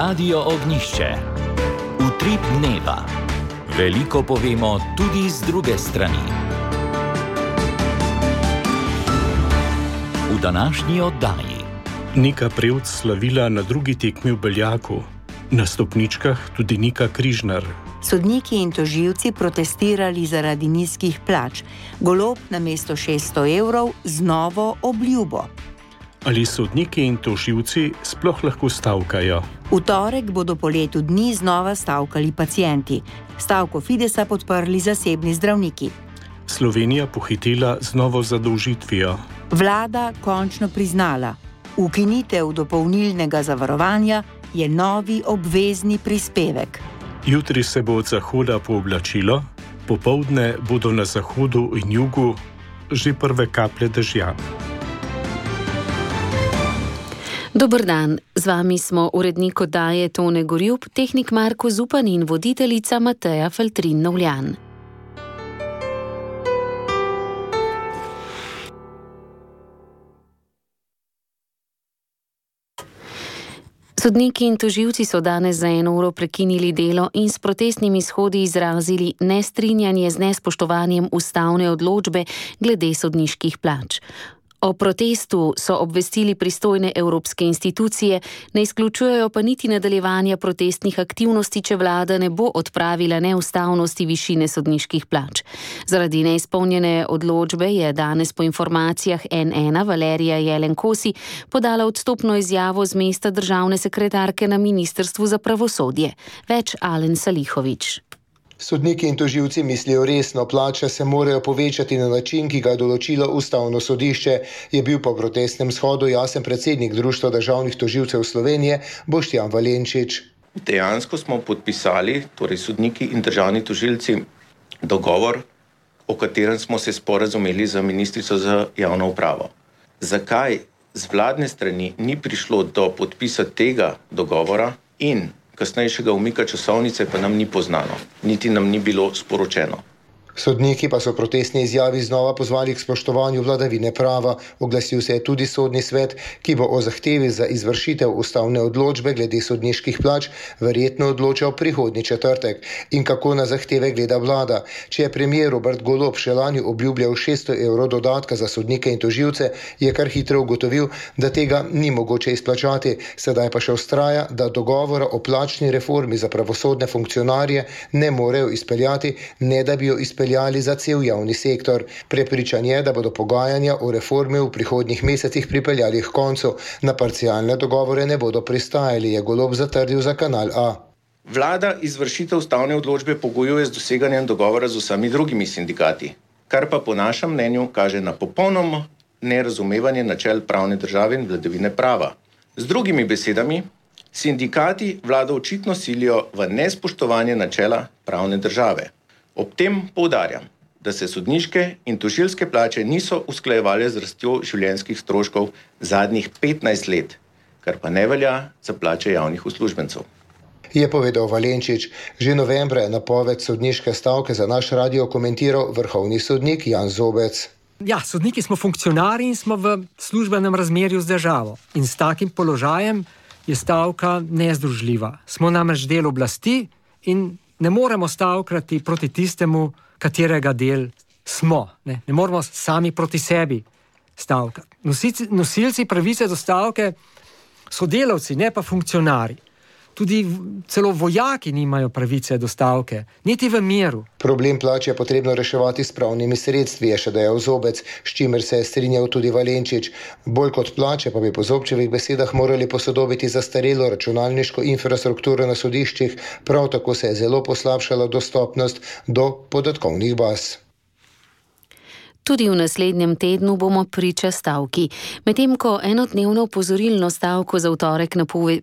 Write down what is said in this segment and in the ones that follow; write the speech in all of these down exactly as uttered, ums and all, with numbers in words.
Radio Ognjišče. Utrip dneva. Veliko povemo tudi z druge strani. V današnji oddaji. Nika Prevc slavila na drugi tekmi v Beljaku. Na stopničkah tudi Nika Križnar. Sodniki in tožilci protestirali zaradi nizkih plač. Golob namesto šeststo evrov z novo obljubo. Ali sodniki in tožilci sploh lahko stavkajo? V torek bodo po letu dni znova stavkali pacienti. Stavko Fidesa podprli zasebni zdravniki. Slovenija pohitela z novo zadolžitvijo. Vlada končno priznala, ukinitev dopolnilnega zavarovanja je novi obvezni prispevek. Jutri se bo od zahoda pooblačilo, popoldne bodo na zahodu in jugu že prve kaplje dežja. Dober dan, z vami smo urednik oddaje Tone Gorjup, tehnik Marko Zupan in voditeljica Mateja Feltrin-Novljan. Sodniki in tožilci so danes za eno uro prekinili delo in s protestnimi shodi izrazili nestrinjanje z nespoštovanjem ustavne odločbe glede sodniških plač. O protestu so obvestili pristojne evropske institucije, ne izključujejo pa niti nadaljevanja protestnih aktivnosti, če vlada ne bo odpravila neustavnosti višine sodniških plač. Zaradi neizpolnjene odločbe je danes po informacijah N ena Valerija Jelen-Kosi podala odstopno izjavo z mesta državne sekretarke na Ministrstvu za pravosodje. Več Alen Salihović. Sodniki in tožilci mislijo resno, plače se morajo povečati na način, ki ga je določilo ustavno sodišče, je bil po protestnem shodu jasen predsednik Društva državnih tožilcev Slovenije Boštjan Valenčič. Dejansko smo podpisali, torej sodniki in državni tožilci, dogovor, o katerem smo se sporazumeli za ministrico za javno upravo. Zakaj z vladne strani ni prišlo do podpisa tega dogovora in kasnejšega umika časovnice pa nam ni poznano, niti nam ni bilo sporočeno. Sodniki pa so protestni izjavi znova pozvali k spoštovanju vladavine prava. Oglasil se je tudi sodni svet, ki bo o zahtevi za izvršitev ustavne odločbe glede sodniških plač verjetno odločal prihodnji četrtek. In kako na zahteve gleda vlada? Če je premier Robert Golob še lani obljubljal šeststo evrov dodatka za sodnike in tožilce, je kar hitro ugotovil, da tega ni mogoče izplačati. Sedaj pa še vztraja, da dogovora o plačni reformi za pravosodne funkcionarje ne morejo izpeljati, ne da bi jo izpeljali za cel javni sektor. Prepričan je, da bodo pogajanja o reformi v prihodnjih mesecih pripeljali k koncu. Na parcialne dogovore ne bodo pristajali, je Golob zatrdil za Kanal A. Vlada izvršitev ustavne odločbe pogojuje z doseganjem dogovora z vsemi drugimi sindikati, kar pa po našem mnenju kaže na popolnoma nerazumevanje načel pravne države in vladavine prava. Z drugimi besedami, sindikati vlado očitno silijo v nespoštovanje načela pravne države. Ob tem poudarjam, da se sodniške in tožilske plače niso usklajevale z rastjo življenjskih stroškov zadnjih petnajst let, kar pa ne velja za plače javnih uslužbencev. Je povedal Valenčič. Že novembra je napoved sodniške stavke za naš radio komentiral vrhovni sodnik Jan Zobec. Ja, sodniki smo funkcionarji in smo v službenem razmerju z državo. In s takim položajem je stavka nezdružljiva. Smo namreč del oblasti in ne moremo stavkati proti tistemu, katerega del smo. Ne, ne moremo sami proti sebi stavkati. Nosilci, nosilci pravice do stavke so delavci, ne pa funkcionari. Tudi celo vojaki nimajo pravice do stavke, niti v miru. Problem plač je potrebno reševati s pravnimi sredstvi, je še dejal Zobec, s čimer se je strinjal tudi Valenčič. Bolj kot plače pa bi po Zobčevih besedah morali posodobiti zastarelo računalniško infrastrukturo na sodiščih, prav tako se je zelo poslabšala dostopnost do podatkovnih baz. Tudi v naslednjem tednu bomo priča stavki. Medtem ko enodnevno opozorilno stavko za v torek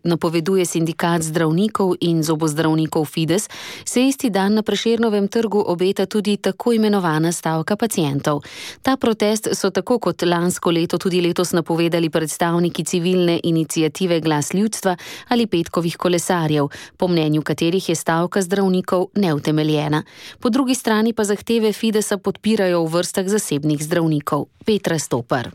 napoveduje sindikat zdravnikov in zobozdravnikov Fides, se isti dan na Prešernovem trgu obeta tudi tako imenovana stavka pacientov. Ta protest so tako kot lansko leto tudi letos napovedali predstavniki civilne iniciative Glas ljudstva ali petkovih kolesarjev, po mnenju katerih je stavka zdravnikov neutemeljena. Po drugi strani pa zahteve Fidesa podpirajo v vrstah zasebnih zdravnikov. Petra Stopar.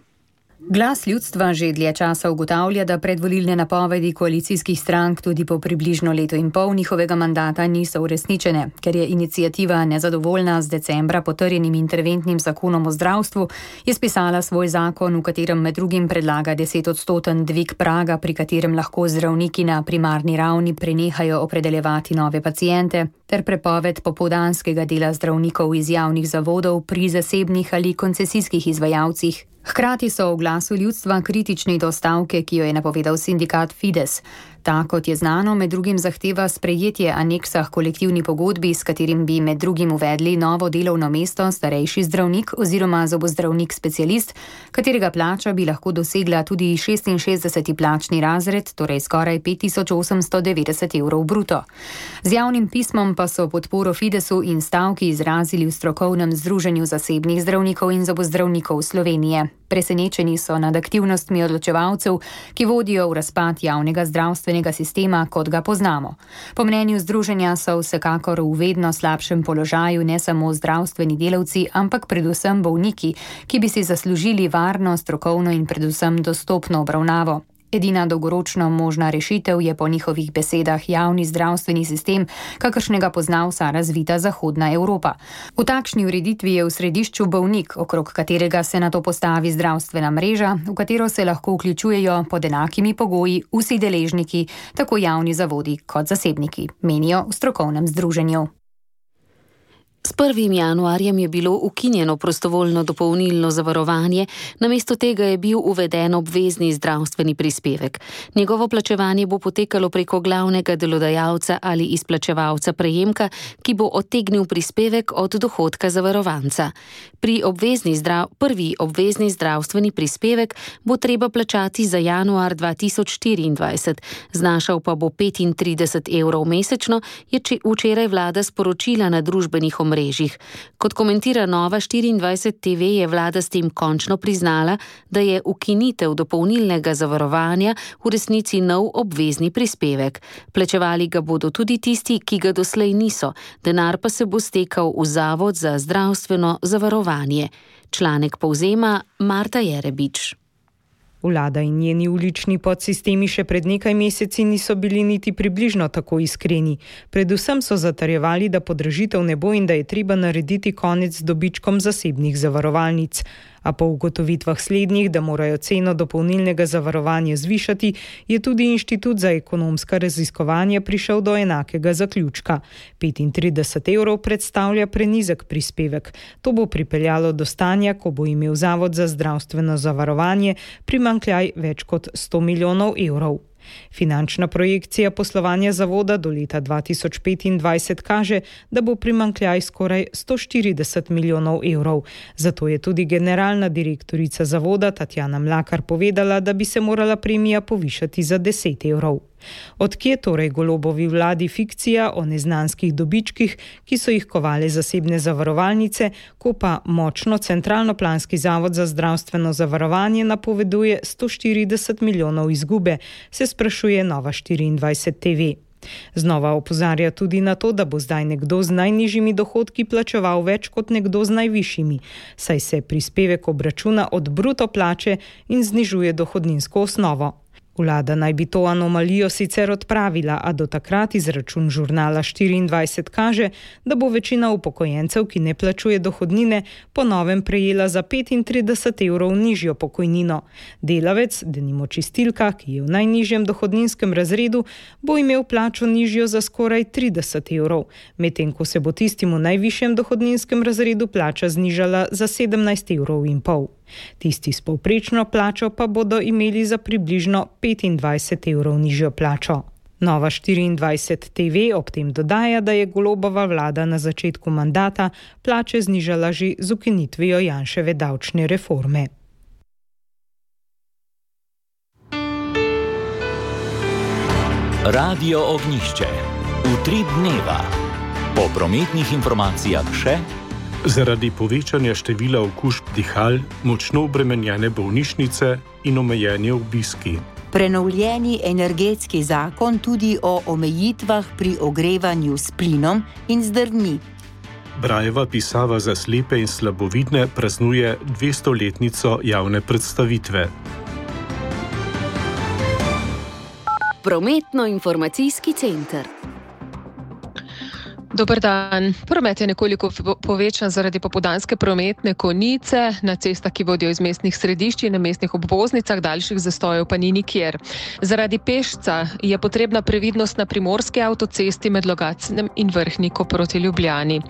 Glas ljudstva že dlje časa ugotavlja, da predvolilne napovedi koalicijskih strank tudi po približno leto in pol njihovega mandata niso uresničene. Ker je iniciativa nezadovoljna z decembra potrjenim interventnim zakonom o zdravstvu, je spisala svoj zakon, v katerem med drugim predlaga desetodstoten dvig praga, pri katerem lahko zdravniki na primarni ravni prenehajo opredeljevati nove paciente, ter prepoved popoldanskega dela zdravnikov iz javnih zavodov pri zasebnih ali koncesijskih izvajalcih. Hkrati so v glasu ljudstva kritični do stavke, ki jo je napovedal sindikat Fides. Ta, kot je znano, med drugim zahteva sprejetje aneksa k kolektivni pogodbi, s katerim bi med drugim uvedli novo delovno mesto starejši zdravnik oziroma zobozdravnik specialist, katerega plača bi lahko dosegla tudi šestinšestdeseti plačni razred, torej skoraj pet tisoč osemsto devetdeset evrov bruto. Z javnim pismom pa so podporo Fidesu in stavki izrazili v strokovnem združenju zasebnih zdravnikov in zobozdravnikov Slovenije. Presenečeni so nad aktivnostmi odločevalcev, ki vodijo v razpad javnega zdravstvenega sistema, kot ga poznamo. Po mnenju združenja so vsekakor v vedno slabšem položaju ne samo zdravstveni delavci, ampak predvsem bolniki, ki bi si zaslužili varno, strokovno in predvsem dostopno obravnavo. Edina dolgoročno možna rešitev je po njihovih besedah javni zdravstveni sistem, kakršnega pozna vsa razvita zahodna Evropa. V takšni ureditvi je v središču bolnik, okrog katerega se nato postavi zdravstvena mreža, v katero se lahko vključujejo pod enakimi pogoji vsi deležniki, tako javni zavodi kot zasebniki, menijo v strokovnem združenju. S prvim januarjem je bilo ukinjeno prostovoljno dopolnilno zavarovanje, namesto tega je bil uveden obvezni zdravstveni prispevek. Njegovo plačevanje bo potekalo preko glavnega delodajalca ali izplačevalca prejemka, ki bo odtegnil prispevek od dohodka zavarovanca. Pri obvezni zdrav, prvi obvezni zdravstveni prispevek bo treba plačati za januar dva tisoč štiriindvajset, znašal pa bo petintrideset evrov mesečno, je včeraj vlada sporočila na družbenih omrežjih. Mrežih. Kot komentira Nova štiriindvajset T V, je vlada s tem končno priznala, da je ukinitev dopolnilnega zavarovanja v resnici nov obvezni prispevek. Plačevali ga bodo tudi tisti, ki ga doslej niso, denar pa se bo stekal v Zavod za zdravstveno zavarovanje. Članek povzema Marta Jerebič. Vlada in njeni ulični podsistemi še pred nekaj meseci niso bili niti približno tako iskreni. Predvsem so zatrjevali, da podražitev ne bo in da je treba narediti konec z dobičkom zasebnih zavarovalnic. A po ugotovitvah slednjih, da morajo ceno dopolnilnega zavarovanja zvišati, je tudi Inštitut za ekonomska raziskovanja prišel do enakega zaključka. petintrideset evrov predstavlja prenizek prispevek. To bo pripeljalo do stanja, ko bo imel Zavod za zdravstveno zavarovanje primanjkljaj več kot sto milijonov evrov. Finančna projekcija poslovanja zavoda do leta dva tisoč petindvajset kaže, da bo primanjkljaj skoraj sto štirideset milijonov evrov. Zato je tudi generalna direktorica zavoda Tatjana Mlakar povedala, da bi se morala premija povišati za deset evrov. Odkje torej Golobovi vladi fikcija o neznanskih dobičkih, ki so jih kovale zasebne zavarovalnice, ko pa močno centralno-planski Zavod za zdravstveno zavarovanje napoveduje sto štirideset milijonov izgube, se sprašuje Nova štiriindvajset T V. Znova opozarja tudi na to, da bo zdaj nekdo z najnižjimi dohodki plačeval več kot nekdo z najvišjimi, saj se prispevek obračuna od bruto plače in znižuje dohodninsko osnovo. Vlada naj bi to anomalijo sicer odpravila, a do takrat izračun žurnala štiriindvajset kaže, da bo večina upokojencev, ki ne plačuje dohodnine, po novem prejela za petintrideset evrov nižjo pokojnino. Delavec, denimo čistilka, ki je v najnižjem dohodninskem razredu, bo imel plačo nižjo za skoraj trideset evrov, medtem ko se bo tistim v najvišjem dohodninskem razredu plača znižala za sedemnajst evrov in pol. Tisti s povprečno plačo pa bodo imeli za približno petindvajset evrov nižjo plačo. Nova štiriindvajset T V ob tem dodaja, da je Golobova vlada na začetku mandata plače znižala že z ukinitvijo Janševe davčne reforme. Radio Ognjišče. Utrip dneva. Po prometnih informacijah še: zaradi povečanja števila okužb dihal, močno obremenjene bolnišnice in omejeni obiski. Prenovljeni energetski zakon tudi o omejitvah pri ogrevanju s plinom in z drvmi. Brajeva pisava za slepe in slabovidne praznuje dvestoletnico javne predstavitve. Prometno-informacijski center. Dober dan. Promet je nekoliko povečan zaradi popoldanske prometne konice na cestah, ki vodijo iz mestnih središč in na mestnih obvoznicah, daljših zastojev pa ni nikjer. Zaradi pešca je potrebna previdnost na primorski avtocesti med Logatcem in Vrhniko proti Ljubljani.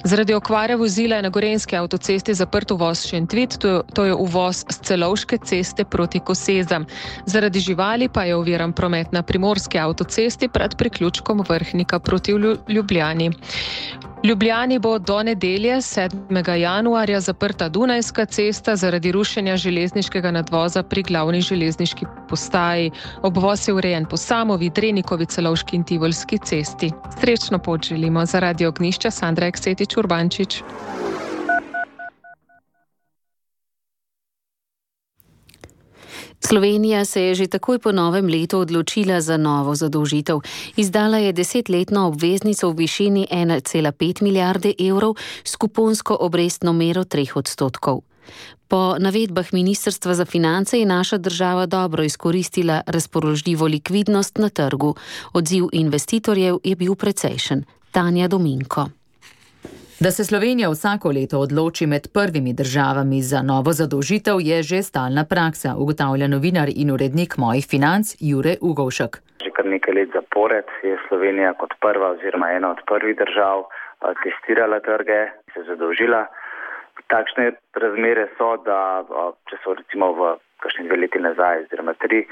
Zaradi okvare vozila je na gorenjski avtocesti zaprt uvoz Šentvid, to, to je uvoz s Celovške ceste proti Kosezam. Zaradi živali pa je oviran promet na primorski avtocesti pred priključkom Vrhnika proti Ljubljani. V Ljubljani bo do nedelje sedmega januarja zaprta Dunajska cesta zaradi rušenja železniškega nadvoza pri glavni železniški postaji. Obvoz je urejen po Samovi, Drenikovi, Celovški in Tivolski cesti. Srečno pot želimo. Za Radio Ognjišča Sandra Eksetič Urbančič. Slovenija se je že takoj po novem letu odločila za novo zadolžitev. Izdala je desetletno obveznico v višini ena cela pet milijarde evrov s kuponsko obrestno mero treh odstotkov. Po navedbah Ministrstva za finance je naša država dobro izkoristila razpoložljivo likvidnost na trgu. Odziv investitorjev je bil precejšen. Tanja Dominko. Da se Slovenija vsako leto odloči med prvimi državami za novo zadolžitev, je že stalna praksa, ugotavlja novinar in urednik Mojih financ Jure Ugovšek. Že kar nekaj let zapored je Slovenija kot prva oziroma ena od prvih držav testirala trge, se zadolžila. Takšne razmere so, da če so recimo v kakšni dve leti nazaj, oziroma tri,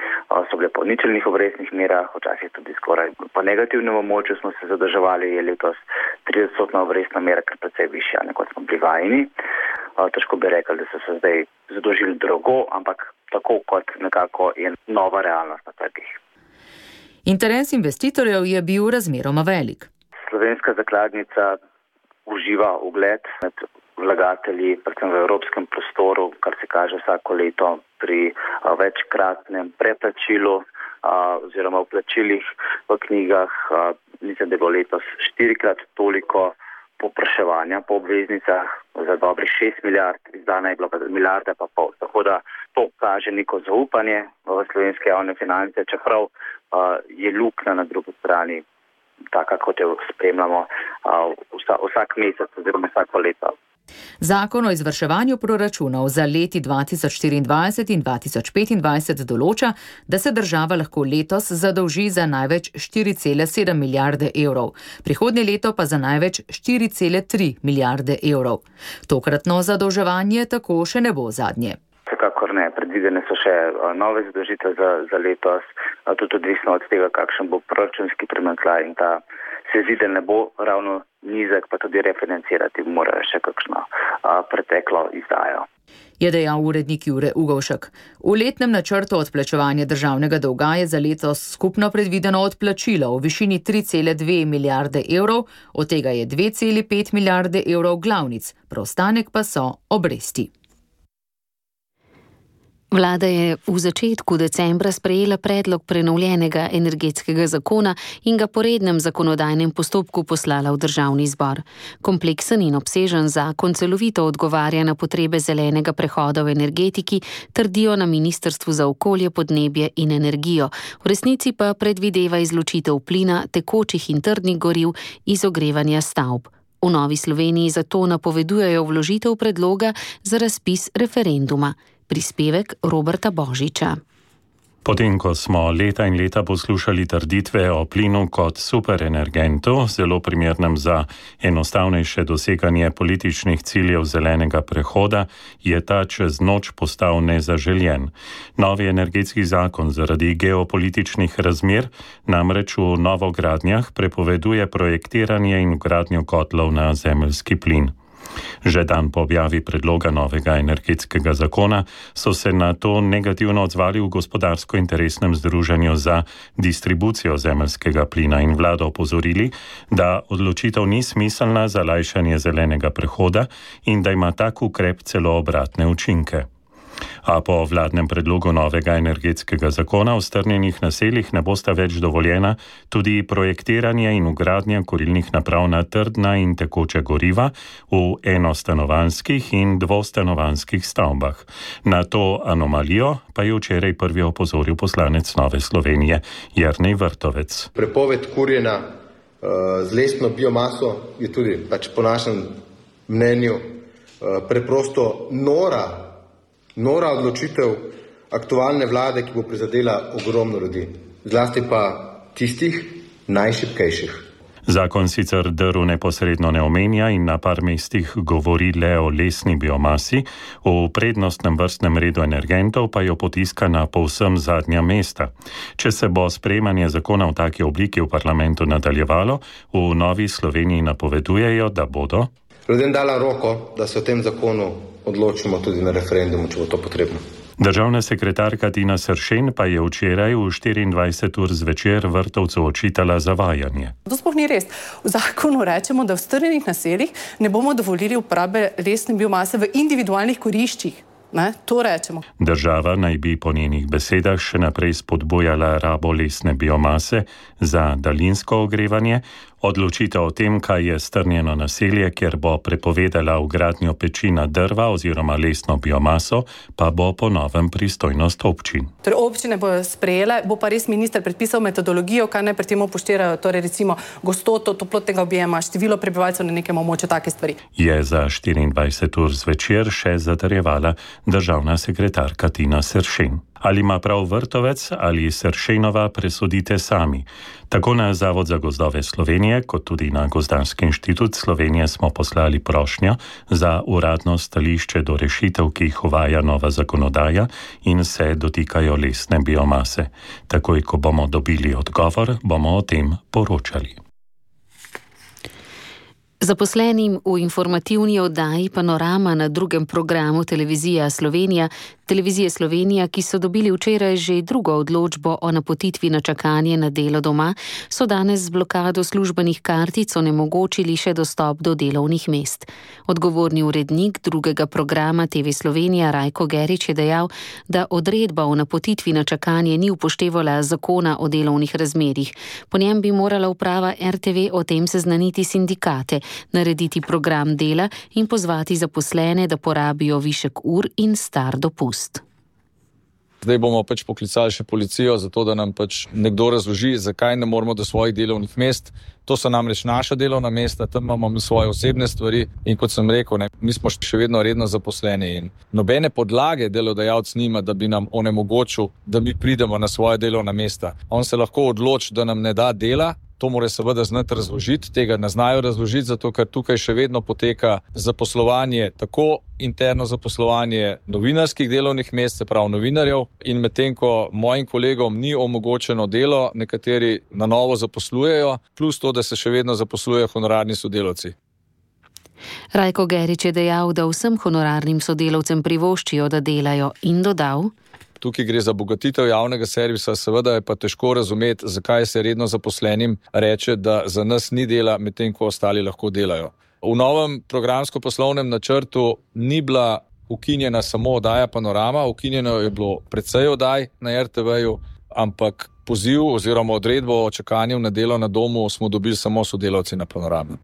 so bile po ničelnih obrestnih merah, včasih tudi skoraj po negativnem območju smo se zadolževali, je letos tridesetodstotna obrestna mera, kar precej višja, kot smo bili vajeni. Težko bi rekli, da so se zdaj zadolžili drago, ampak tako kot nekako je nova realnost na trgih. Interes investitorjev je bil razmeroma velik. Slovenska zakladnica uživa ugled med vlagatelji, predvsem v evropskem prostoru, kar se kaže vsako leto pri a, večkratnem preplačilu a, oziroma vplačilih v knjigah. A, mislim, da bo letos štirikrat toliko popraševanja po obveznicah za dobrih šest milijard, izdana je bila milijarda pa pol. Tako da to kaže neko zaupanje v slovenske javne finance, čeprav a, je luknja na drugi strani taka, kot jo spremljamo a, vsa, vsak mesec oziroma vsako leto. Zakon o izvrševanju proračunov za leti dva tisoč štiriindvajset in dva tisoč petindvajset določa, da se država lahko letos zadolži za največ štiri cele sedem milijarde evrov, prihodnje leto pa za največ štiri cele tri milijarde evrov. Tokratno zadolževanje tako še ne bo zadnje. Vsekakor ne, predvidene so še nove zadolžitve za, za letos, tudi odvisno od tega, kakšen bo proračunski primanjkljaj in ta se zdi, da ne bo ravno nizek, pa tudi refinancirati morajo še kakšno a, preteklo izdajo. Je dejal urednik Jure Ugovšek. V letnem načrtu odplačevanja državnega dolga je za letos skupno predvideno odplačilo v višini tri cele dve milijarde evrov, od tega je dve cele pet milijarde evrov glavnic, preostanek pa so obresti. Vlada je v začetku decembra sprejela predlog prenovljenega energetskega zakona in ga po rednem zakonodajnem postopku poslala v državni zbor. Kompleksen in obsežen zakon celovito odgovarja na potrebe zelenega prehoda v energetiki, trdijo na Ministrstvu za okolje, podnebje in energijo. V resnici pa predvideva izločitev plina, tekočih in trdnih goriv iz ogrevanja stavb. V Novi Sloveniji zato napovedujejo vložitev predloga za razpis referenduma. Prispevek Roberta Božiča. Potem, ko smo leta in leta poslušali trditve o plinu kot superenergentu, zelo primernem za enostavnejše doseganje političnih ciljev zelenega prehoda, je ta čez noč postal nezaželjen. Novi energetski zakon zaradi geopolitičnih razmer namreč v novogradnjah prepoveduje projektiranje in vgradnjo kotlov na zemeljski plin. Že dan po objavi predloga novega energetskega zakona so se na to negativno odzvali v gospodarsko-interesnem združenju za distribucijo zemeljskega plina in vlado opozorili, da odločitev ni smiselna za lajšanje zelenega prehoda in da ima tak ukrep celo obratne učinke. A po vladnem predlogu novega energetskega zakona v strnjenih naseljih ne bosta več dovoljena tudi projektiranje in vgradnja kurilnih naprav na trdna in tekoče goriva v enostanovanjskih in dvostanovanjskih stavbah. Na to anomalijo pa je včeraj prvi opozoril poslanec Nove Slovenije Jernej Vrtovec. Prepoved kurjenja uh, z lesno biomaso je tudi pač po našem mnenju uh, preprosto nora Nora odločitev aktualne vlade, ki bo prizadela ogromno ljudi, zlasti pa tistih najšibkejših. Zakon sicer drv neposredno ne omenja in na par mestih govori le o lesni biomasi, v prednostnem vrstnem redu energentov pa jo potiska na povsem zadnja mesta. Če se bo sprejemanje zakona v taki obliki v parlamentu nadaljevalo, v Novi Sloveniji napovedujejo, da bodo ljudem dala roko, da se o tem zakonu odločimo tudi na referendumu, če bo to potrebno. Državna sekretarka Tina Sršen pa je včeraj v štiriindvajset ur zvečer Vrtovcu očitala zavajanje. To sploh ni res. V zakonu rečemo, da v strnjenih naseljih ne bomo dovolili uporabe lesne biomase v individualnih kuriščih. Ne, to rečemo. Država naj bi po njenih besedah še naprej spodbujala rabo lesne biomase za daljinsko ogrevanje. Odločitev o tem, kaj je strnjeno naselje, kjer bo prepovedala vgradnjo peči na drva oziroma lesno biomaso, pa bo po novem pristojnost občin. Torej občine bojo sprejele, bo pa res minister predpisal metodologijo, kaj naj pri tem upoštevajo, torej recimo gostoto toplotnega objema, število prebivalcev na nekem območju, take stvari. Je za štiriindvajset ur zvečer še zatrjevala državna sekretarka Tina Sršen. Ali ima prav Vrtovec ali Sršenova, presodite sami. Tako na Zavod za gozdove Slovenije, kot tudi na Gozdarski inštitut Slovenije smo poslali prošnjo za uradno stališče do rešitev, ki jih uvaja nova zakonodaja in se dotikajo lesne biomase. Takoj, ko bomo dobili odgovor, bomo o tem poročali. Zaposlenim v informativni oddaji Panorama na drugem programu Televizija Slovenija, Televizije Slovenija, ki so dobili včeraj že drugo odločbo o napotitvi na čakanje na delo doma, so danes z blokado službenih kartic onemogočili še dostop do delovnih mest. Odgovorni urednik drugega programa T V Slovenija Rajko Gerič je dejal, da odredba o napotitvi na čakanje ni upoštevala zakona o delovnih razmerjih. Po njem bi morala uprava R T V o tem seznaniti sindikate, narediti program dela in pozvati zaposlene, da porabijo višek ur in star dopust. Zdaj bomo pač poklicali še policijo, zato da nam pač nekdo razloži, zakaj ne moramo do svojih delovnih mest. To so namreč naša delovna mesta, tam imamo svoje osebne stvari in kot sem rekel, ne, mi smo še vedno redno zaposleni in nobene podlage delodajalec nima, da bi nam onemogočil, da mi pridemo na svoje delovna mesta. On se lahko odloči, da nam ne da dela. To mora seveda znati razložiti, tega ne znajo razložiti, zato ker tukaj še vedno poteka zaposlovanje, tako interno zaposlovanje novinarskih delovnih mest, se pravi novinarjev, in medtem ko mojim kolegom ni omogočeno delo, nekateri na novo zaposlujejo, plus to, da se še vedno zaposlujejo honorarni sodelavci. Rajko Gerič je dejal, da vsem honorarnim sodelavcem privoščijo, da delajo, in dodal: Tukaj gre za bogatitev javnega servisa, seveda je pa težko razumeti, zakaj se redno zaposlenim reče, da za nas ni dela, medtem ko ostali lahko delajo. V novem programsko-poslovnem načrtu ni bila ukinjena samo oddaja Panorama, ukinjeno je bilo precej oddaj na R T V-ju, ampak poziv oziroma odredbo o čakanju na delo na domu smo dobili samo sodelavci na Panorami.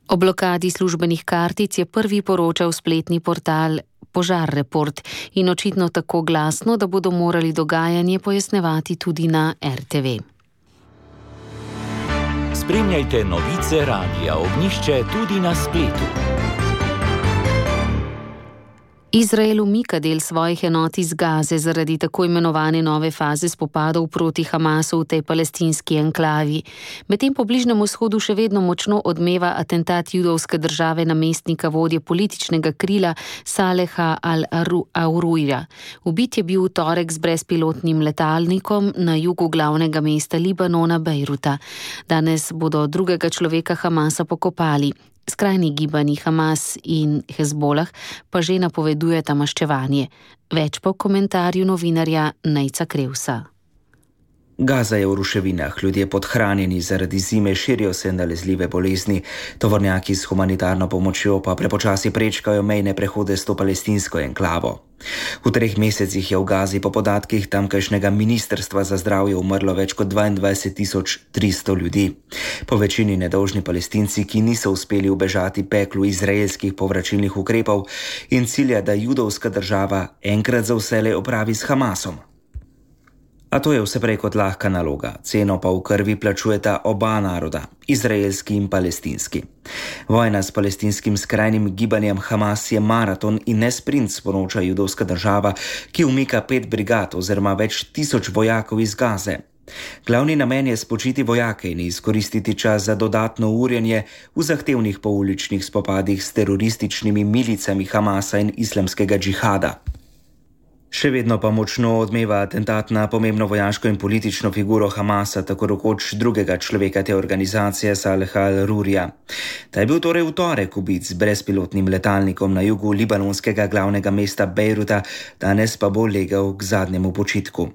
O blokadi službenih kartic je prvi poročal spletni portal Požar Report in očitno tako glasno, da bodo morali dogajanje pojasnevati tudi na R T V. Spremljajte novice Radia Ognjišče tudi na spletu. Izrael umika del svojih enot iz Gaze zaradi tako imenovane nove faze spopadov proti Hamasu v tej palestinski enklavi. Medtem po Bližnjem vzhodu še vedno močno odmeva atentat judovske države namestnika vodje političnega krila Saleha al-Aruja. Ubit je bil v torek z brezpilotnim letalnikom na jugu glavnega mesta Libanona, Bejruta. Danes bodo drugega človeka Hamasa pokopali. Skrajni gibanji Hamas in Hezbolah pa že napovedujeta maščevanje. Več po komentarju novinarja Nejca Krevsa. Gaza je v ruševinah, ljudje podhranjeni zaradi zime, širijo se nalezljive bolezni, tovornjaki s humanitarno pomočjo pa prepočasi prečkajo mejne prehode s to palestinsko enklavo. V treh mesecih je v Gazi po podatkih tamkajšnjega ministrstva za zdravje umrlo več kot dvaindvajset tisoč tristo ljudi. Po večini nedolžni Palestinci, ki niso uspeli ubežati peklu izraelskih povračilnih ukrepov in cilja, da judovska država enkrat za vselej opravi s Hamasom. A to je vse prej kot lahka naloga, ceno pa v krvi plačujeta oba naroda, izraelski in palestinski. Vojna s palestinskim skrajnim gibanjem Hamas je maraton in ne sprint, sporoča judovska država, ki umika pet brigad oziroma več tisoč vojakov iz Gaze. Glavni namen je spočiti vojake in izkoristiti čas za dodatno urjenje v zahtevnih pouličnih spopadih s terorističnimi milicami Hamasa in islamskega džihada. Še vedno pa močno odmeva atentat na pomembno vojaško in politično figuro Hamasa, tako rekoč drugega človeka te organizacije, Saleha al-Rurija. Ta je bil torej v torek ubit z brezpilotnim letalnikom na jugu libanonskega glavnega mesta Bejruta, danes pa bo legel k zadnjemu počitku.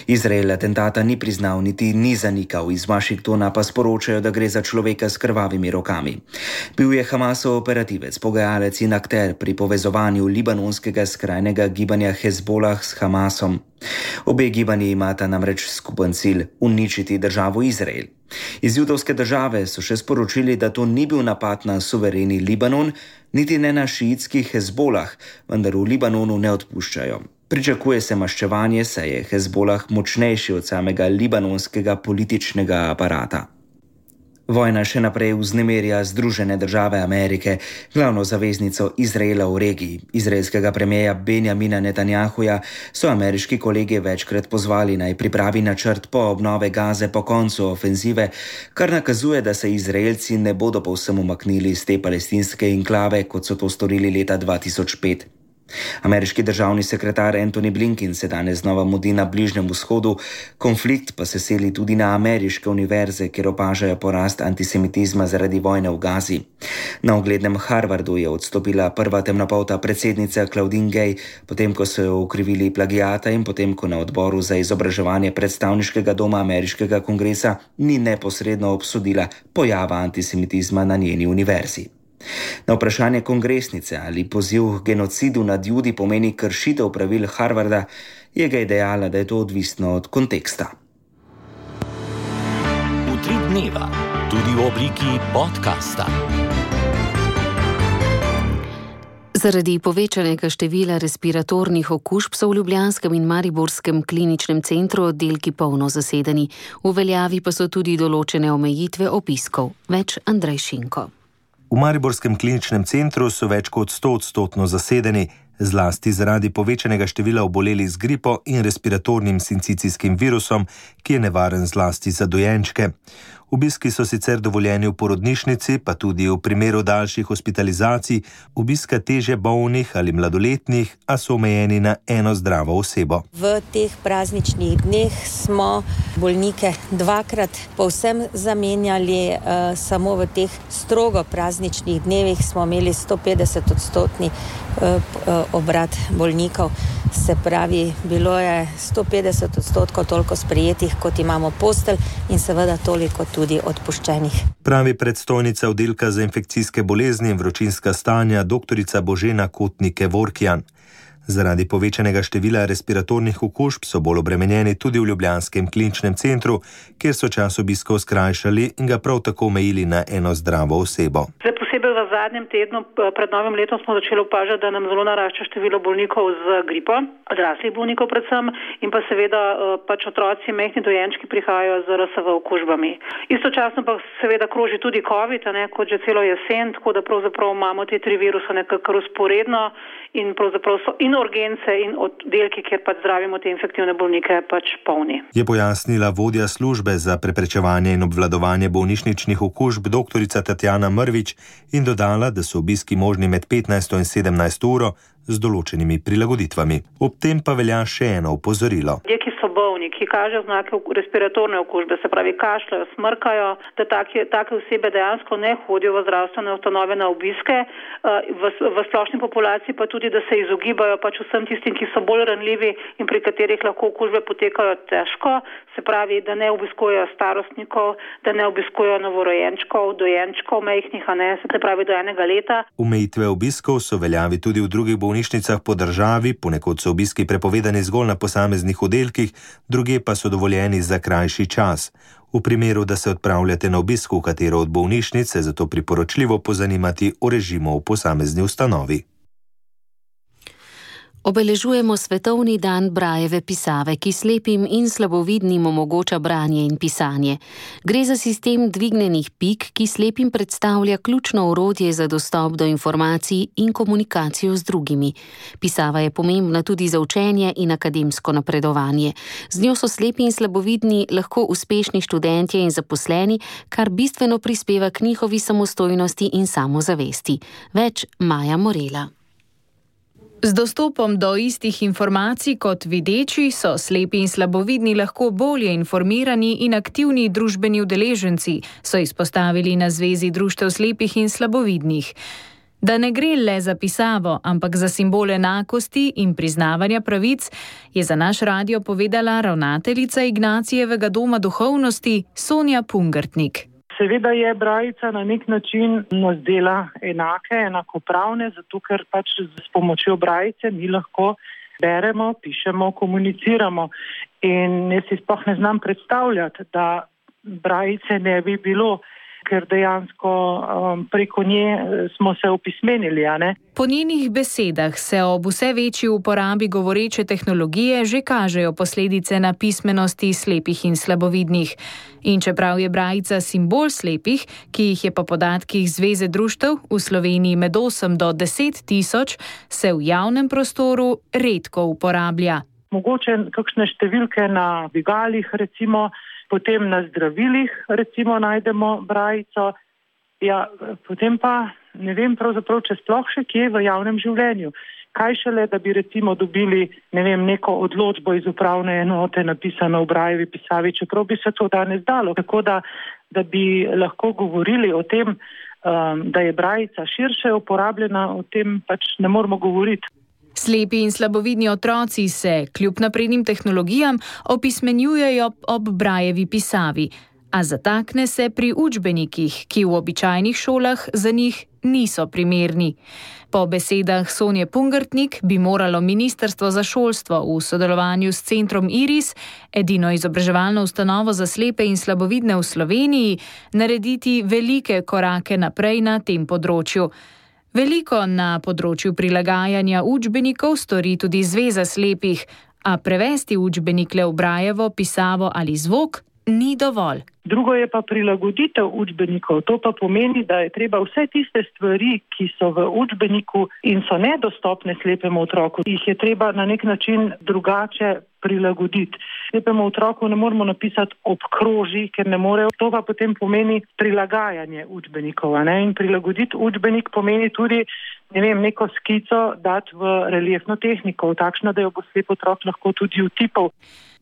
Izrael atentata ni priznal niti ni zanikal, iz Washingtona pa sporočajo, da gre za človeka s krvavimi rokami. Bil je Hamasov operativec, pogajalec in akter pri povezovanju libanonskega skrajnega gibanja Hezbolah s Hamasom. Obe gibanji imata namreč skupen cilj – uničiti državo Izrael. Iz judovske države so še sporočili, da to ni bil napad na suvereni Libanon, niti ne na šiitskih Hezbolah, vendar v Libanonu ne odpuščajo. Pričakuje se maščevanje, saj je Hezbolah močnejši od samega libanonskega političnega aparata. Vojna še naprej vznemirja Združene države Amerike, glavno zaveznico Izraela v regiji. Izraelskega premierja Benjamina Netanjahuja so ameriški kolegi večkrat pozvali naj pripravi načrt po obnove Gaze po koncu ofenzive, kar nakazuje, da se Izraelci ne bodo povsem umaknili iz te palestinske enklave, kot so to storili leta dva tisoč pet. Ameriški državni sekretar Antony Blinken se danes znova mudi na Bližnjem vzhodu, konflikt pa se seli tudi na ameriške univerze, kjer opažajo porast antisemitizma zaradi vojne v Gazi. Na uglednem Harvardu je odstopila prva temnopolta predsednica Claudine Gay, potem ko so jo okrivili plagiata in potem ko na odboru za izobraževanje predstavniškega doma ameriškega kongresa ni neposredno obsodila pojava antisemitizma na njeni univerzi. Na vprašanje kongresnice, ali poziv k genocidu nad Judi pomeni kršitev pravil Harvarda, je Gay dejala, da je to odvisno od konteksta. Utrip dneva, tudi v obliki podcasta. Zaradi povečanega števila respiratornih okužb so v ljubljanskem in mariborskem kliničnem centru oddelki polno zasedeni. V veljavi pa so tudi določene omejitve obiskov. Več Andrej Šinko. V mariborskem kliničnem centru so več kot stoodstotno zasedeni, zlasti zaradi povečanega števila obolelih z gripo in respiratornim sincicijskim virusom, ki je nevaren zlasti za dojenčke. Obiski so sicer dovoljeni v porodnišnici, pa tudi v primeru daljših hospitalizacij, obiska težje bolnih ali mladoletnih, a so omejeni na eno zdravo osebo. V teh prazničnih dneh smo bolnike dvakrat povsem zamenjali, uh, samo v teh strogo prazničnih dnevih smo imeli sto petdeset odstotni uh, obrat bolnikov. Se pravi, bilo je sto petdeset odstotkov toliko sprejetih, kot imamo postelj in seveda toliko tudi odpuščenih. Pravi predstojnica oddelka za infekcijske bolezni in vročinska stanja doktorica Božena Kotnike-Vorkjan. Zaradi povečanega števila respiratornih okužb so bolj obremenjeni tudi v ljubljanskem kliničnem centru, kjer so čas obiskov skrajšali in ga prav tako omejili na eno zdravo osebo. Zdaj posebej v zadnjem tednu pred novim letom smo začeli opažati, da nam zelo narašča število bolnikov z gripo, odraslih bolnikov predvsem, in pa seveda pač otroci, majhni dojenčki prihajajo z R S V okužbami. Istočasno pa seveda kroži tudi COVID, ne, kot že celo jesen, tako da pravzaprav imamo te tri viruse nekako usporedno in pravzaprav so in urgence in oddelki, kjer pač zdravimo te infektivne bolnike, pač polni. Je pojasnila vodja službe za preprečevanje in obvladovanje bolnišničnih okužb doktorica Tatjana Mrvič in dodala, da so obiski možni med petnajsto in sedemnajsto uro z določenimi prilagoditvami. Ob tem pa velja še eno opozorilo. Ljudje, ki so so bolni, ki kažejo znake respiratorne okužbe, se pravi kašljajo, smrkajo, da take, take osebe dejansko ne hodijo v zdravstvene ustanove na obiske, v, v splošni populaciji pa tudi, da se izogibajo pač vsem tistim, ki so bolj ranljivi in pri katerih lahko okužbe potekajo težko, se pravi, da ne obiskujejo starostnikov, da ne obiskujejo novorojenčkov, dojenčkov majhnih, a ne, se pravi do enega leta. Omejitve obiskov so veljavi tudi v drugih bolnišnicah po državi, ponekod so obiski prepovedani zgolj na posameznih oddelkih, druge pa so dovoljeni za krajši čas. V primeru, da se odpravljate na obisk v katero od bolnišnic, se zato priporočljivo pozanimati o režimu v posamezni ustanovi. Obeležujemo svetovni dan Brajeve pisave, ki slepim in slabovidnim omogoča branje in pisanje. Gre za sistem dvignjenih pik, ki slepim predstavlja ključno orodje za dostop do informacij in komunikacijo z drugimi. Pisava je pomembna tudi za učenje in akademsko napredovanje. Z njo so slepi in slabovidni lahko uspešni študentje in zaposleni, kar bistveno prispeva k njihovi samostojnosti in samozavesti. Več Maja Morela. Z dostopom do istih informacij kot videči so slepi in slabovidni lahko bolje informirani in aktivni družbeni udeleženci, so izpostavili na Zvezi društev slepih in slabovidnih. Da ne gre le za pisavo, ampak za simbol enakosti in priznavanja pravic, je za naš radio povedala ravnateljica Ignacijevega doma duhovnosti Sonja Pungartnik. Seveda je brajica na nek način nas dela enake, enakopravne, zato ker pač s pomočjo brajice mi lahko beremo, pišemo, komuniciramo. In jaz si sploh ne znam predstavljati, da brajice ne bi bilo, ker dejansko um, preko nje smo se opismenili, a ne? Po njenih besedah se ob vse večji uporabi govoreče tehnologije že kažejo posledice na pismenosti slepih in slabovidnih. In čeprav je brajica simbol slepih, ki jih je po podatkih Zveze društev v Sloveniji med osem do deset tisoč, se v javnem prostoru redko uporablja. Mogoče kakšne številke na dvigalih, recimo, potem na zdravilih, recimo, najdemo brajico, ja, potem pa ne vem pravzaprav, če sploh še kje v javnem življenju. Kaj šele, da bi recimo dobili, ne vem, neko odločbo iz upravne enote napisano v Brajevi pisavi, čeprav bi se to danes dalo. Tako da, da bi lahko govorili o tem, um, da je brajica širše uporabljena, o tem pač ne moramo govoriti. Slepi in slabovidni otroci se, kljub naprednim tehnologijam, opismenjujejo ob Brajevi pisavi, a zatakne se pri učbenikih, ki v običajnih šolah za njih niso primerni. Po besedah Sonje Pungartnik bi moralo Ministrstvo za šolstvo v sodelovanju s centrom Iris, edino izobraževalno ustanovo za slepe in slabovidne v Sloveniji, narediti velike korake naprej na tem področju. Veliko na področju prilagajanja učbenikov stori tudi Zveza slepih, a prevesti učbenik le v Brajevo pisavo ali zvok ni dovolj. Drugo je pa prilagoditev učbenikov. To pa pomeni, da je treba vse tiste stvari, ki so v učbeniku in so nedostopne slepemu otroku, jih je treba na nek način drugače prilagoditi. Slepemu otroku ne moremo napisati obkroži, ker ne morejo. To pa potem pomeni prilagajanje učbenikov. Ne? In prilagoditi učbenik pomeni tudi, ne vem, neko skico dati v reliefno tehniko, takšno, da jo bo slep otrok lahko tudi utipal.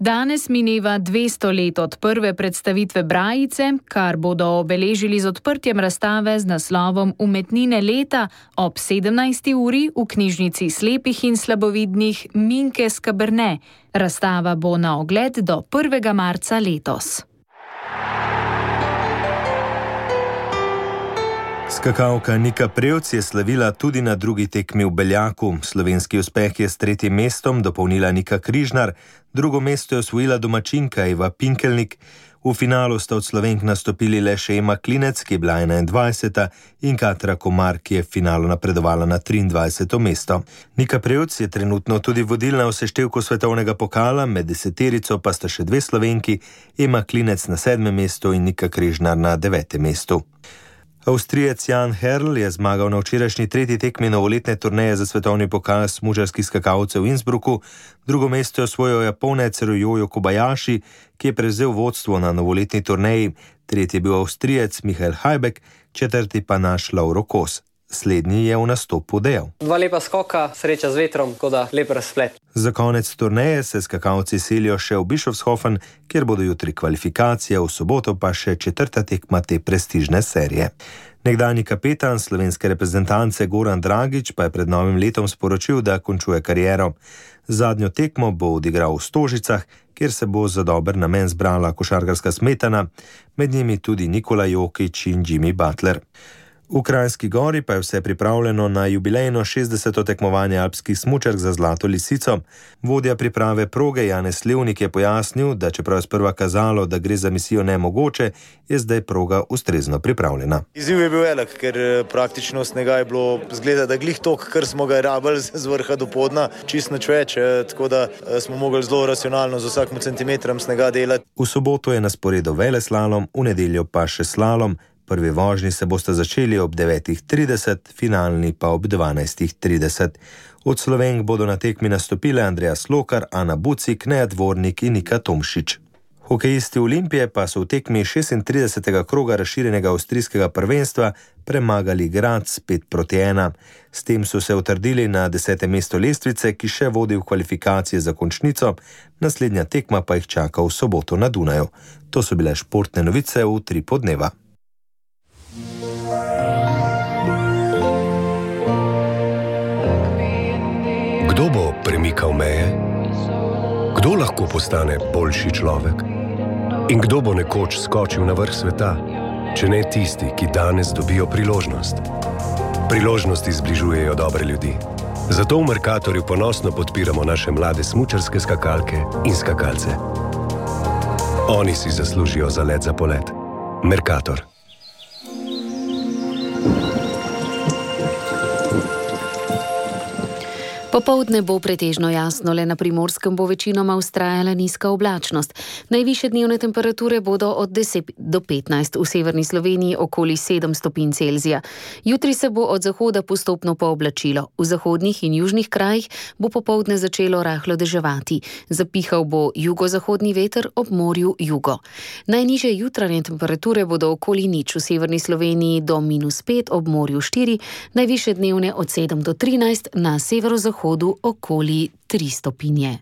Danes mineva dvesto let od prve predstavitve brajice, kar bodo obeležili z odprtjem razstave z naslovom Umetnine leta ob sedemnajsti uri v knjižnici slepih in slabovidnih Minke Skaberne. Razstava bo na ogled do prvega marca letos. Skakalka Nika Prevc je slavila tudi na drugi tekmi v Beljaku. Slovenski uspeh je s tretjim mestom dopolnila Nika Križnar, drugo mesto je osvojila domačinka Eva Pinkelnik. V finalu sta od Slovenk nastopili le še Ema Klinec, ki je bila enaindvajseta, in Katra Komar, ki je v finalu napredovala na triindvajseto mesto. Nika Prevc je trenutno tudi vodilna v seštevku svetovnega pokala, med deseterico pa sta še dve Slovenki, Ema Klinec na sedmem mestu in Nika Križnar na devetem mestu. Avstrijec Jan Herl je zmagal na včerajšnji tretji tekmi novoletne turneje za svetovni pokal smučarskih skakalcev v Innsbrucku. Drugo mesto je osvojil Japonec Ryoyo Kobayashi, ki je prevzel vodstvo na novoletni turneji. Tretji je bil Avstrijec Michael Hajbek, četrti pa naš Lauro Kos. Slednji je v nastopu dejal: Dva lepa skoka, sreča z vetrom, tako da lep razplet. Za konec turneje se skakalci selijo še v Bischofshofen, kjer bodo jutri kvalifikacije, v soboto pa še četrta tekma te prestižne serije. Nekdanji kapetan slovenske reprezentance Goran Dragič pa je pred novim letom sporočil, da končuje kariero. Zadnjo tekmo bo odigral v Stožicah, kjer se bo za dober namen zbrala košarkarska smetana, med njimi tudi Nikola Jokić in Jimmy Butler. V Kranjski Gori pa je vse pripravljeno na jubilejno šestdeseto tekmovanje alpskih smučark za Zlato lisico. Vodja priprave proge Janez Levnik je pojasnil, da čeprav je sprva kazalo, da gre za misijo nemogoče, je zdaj proga ustrezno pripravljena. Izziv je bil velik, ker praktično snega je bilo zgleda, da glih tok, kar smo ga rabili z vrha do podna, čist nič več, tako da smo mogli zelo racionalno z vsakim centimetrom snega delati. V soboto je na sporedu veleslalom, v nedeljo pa še slalom. Prvi vožnji se boste začeli ob devetih trideset, finalni pa ob dvanajstih trideset. Od Slovenk bodo na tekmi nastopile Andreja Slokar, Ana Bucik, Neja Dvornik in Nika Tomšič. Hokejisti Olimpije pa so v tekmi šestintridesetega kroga razširjenega avstrijskega prvenstva premagali Graz pet proti ena. S tem so se utrdili na desetem mestu lestvice, ki še vodi v kvalifikacije za končnico, naslednja tekma pa jih čaka v soboto na Dunaju. To so bile športne novice v tri podneva. Kdo bo premikal meje? Kdo lahko postane boljši človek? In kdo bo nekoč skočil na vrh sveta, če ne tisti, ki danes dobijo priložnost? Priložnosti zbližujejo dobre ljudi. Zato v Mercatorju ponosno podpiramo naše mlade smučarske skakalke in skakalce. Oni si zaslužijo zalet za polet. Mercator. Popoldne bo pretežno jasno, le na Primorskem bo večinoma vztrajala nizka oblačnost. Najvišje dnevne temperature bodo od deset do petnajst, v severni Sloveniji okoli sedem stopinj Celzija. Jutri se bo od zahoda postopno pooblačilo. V zahodnih in južnih krajih bo popoldne začelo rahlo deževati. Zapihal bo jugozahodni veter, ob morju jugo. Najnižje jutranje temperature bodo okoli nič, v severni Sloveniji do minus pet, ob morju štiri, najvišje dnevne od sedem do trinajst, na severozahodu okoli tri stopinje.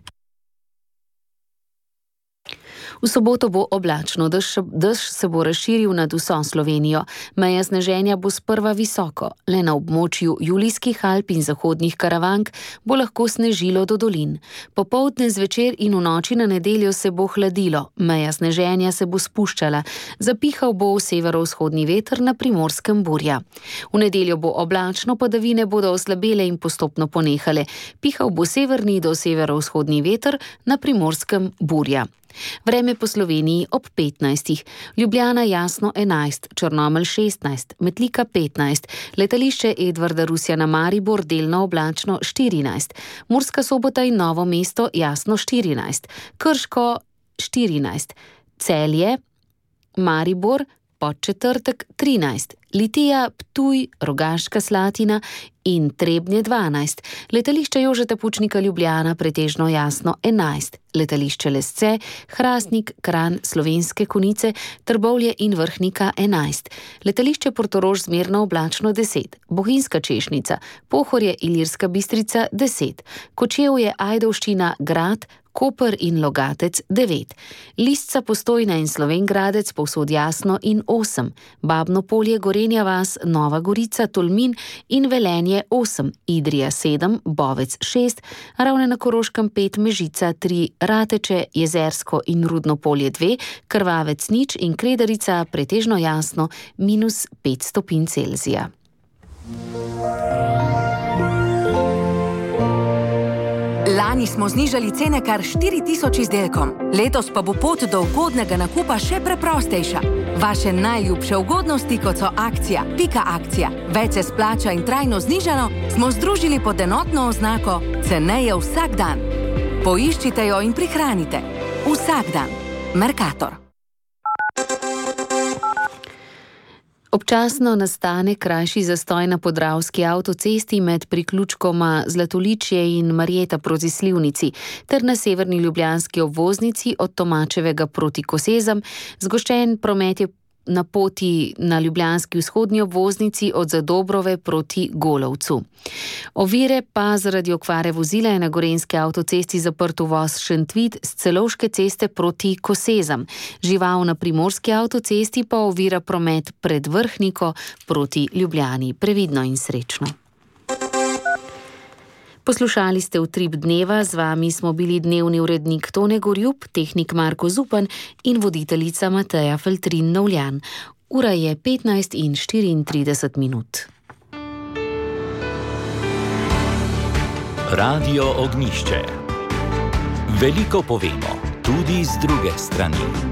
V soboto bo oblačno, dež, dež se bo razširil nad vso Slovenijo. Meja sneženja bo sprva visoko, le na območju Julijskih Alp in zahodnih Karavank bo lahko snežilo do dolin. Popoldne, zvečer in v noči na nedeljo se bo hladilo, meja sneženja se bo spuščala, zapihal bo severovzhodni veter, na Primorskem burja. V nedeljo bo oblačno, padavine bodo oslabele in postopno ponehale. Pihal bo severni do severovzhodni veter, na Primorskem burja. Vreme po Sloveniji ob petnajstih, Ljubljana jasno enajst, Črnomelj šestnajst, Metlika petnajst, letališče Edvarda Rusjana Maribor delno oblačno štirinajst, Murska Sobota in Novo mesto jasno štirinajst, Krško štirinajst, Celje, Maribor, Podčetrtek trinajst, Litija, Ptuj, Rogaška Slatina in Trebnje dvanajst, letališče Jožeta Pučnika Ljubljana pretežno jasno enajst, letališče Lesce, Hrastnik, Kranj, Slovenske Konjice, Trbovlje in Vrhnika enajst, letališče Portorož zmerno oblačno deset, Bohinjska Češnica, Pohorje, Ilirska Bistrica deset, Kočevje, Ajdovščina, Grad, Koper in Logatec devet, Lisca, Postojna in Slovenj Gradec povsod jasno in osem, Babno Polje, Gorenja vas, Nova Gorica, Tolmin in Velenje osem, Idrija sedem, Bovec šest, Ravne na Koroškem pet, Mežica tri, Rateče, Jezersko in Rudno Polje dve, Krvavec nič in Kredarica pretežno jasno minus pet stopinj Celzija. Lani smo znižali cene kar štiri tisoč izdelkom, letos pa bo pot do ugodnega nakupa še preprostejša. Vaše najljubše ugodnosti, kot so akcija, pika akcija, več se splača in trajno znižano, smo združili pod enotno oznako ceneje vsak dan. Poiščite jo in prihranite. Vsak dan. Mercator. Občasno nastane krajši zastoj na podravski avtocesti med priključkoma Zlatoličje in Marjeta proti Slivnici ter na severni ljubljanski obvoznici od Tomačevega proti Kosezam. Zgoščen promet je na poti na ljubljanski vzhodnji obvoznici od Zadobrove proti Golovcu. Ovire pa zaradi okvare vozila je na gorenjski avtocesti zaprt uvoz Šentvid z Celovške ceste proti Kosezam. Žival na primorski avtocesti pa ovira promet pred Vrhniko proti Ljubljani. Previdno in srečno. Poslušali ste Utrip dneva, z vami smo bili dnevni urednik Tone Gorjup, tehnik Marko Zupan in voditeljica Mateja Feltrin-Novljan. Ura je petnajst in štiriintrideset minut. Radio Ognjišče. Veliko povemo, tudi z druge strani.